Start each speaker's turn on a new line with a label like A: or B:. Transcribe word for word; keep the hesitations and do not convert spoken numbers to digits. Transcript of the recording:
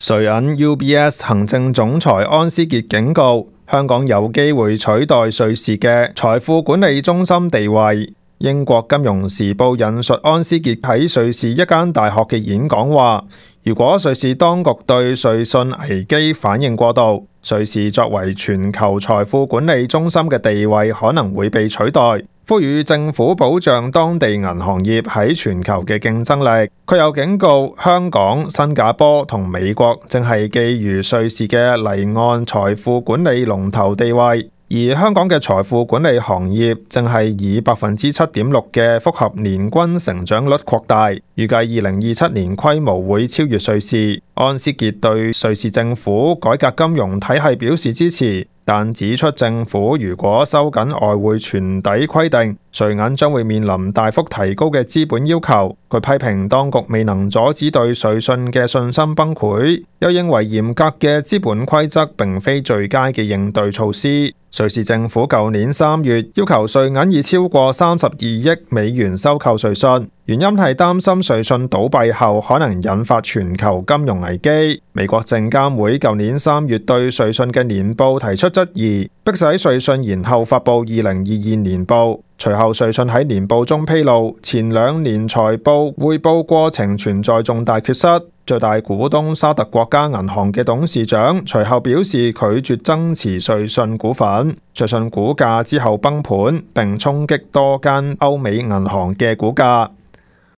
A: 瑞銀 U B S 行政總裁安思傑警告，香港有機會取代瑞士嘅財富管理中心地位。英國金融時報引述安思傑喺瑞士一間大學嘅演講話，如果瑞士當局對瑞信危機反應過度，瑞士作為全球財富管理中心嘅地位可能會被取代，呼籲政府保障當地銀行業喺全球嘅競爭力。佢又警告香港、新加坡同美國正係覬覦瑞士嘅離岸財富管理龍頭地位。而香港嘅財富管理行業正係以百分之七點六嘅複合年均成長率擴大，預計二零二七年規模會超越瑞士。安思傑對瑞士政府改革金融體系表示支持，但指出政府如果收緊外匯存底規定，瑞銀將會面臨大幅提高嘅資本要求。佢批評當局未能阻止對瑞信嘅信心崩潰，又認為嚴格嘅資本規則並非最佳嘅應對措施。瑞士政府舊年三月要求瑞銀以超過三十二億美元收購瑞信，原因係擔心瑞信倒閉後可能引發全球金融危機。美國證監會舊年三月對瑞信嘅年報提出質疑，迫使瑞信延後發布二零二二年報。隨後瑞信喺年報中披露，前兩年財報匯報過程存在重大缺失。最大股東沙特國家銀行嘅董事長隨後表示拒絕增持瑞信股份，瑞信股價之後崩盤，並衝擊多間歐美銀行嘅股價。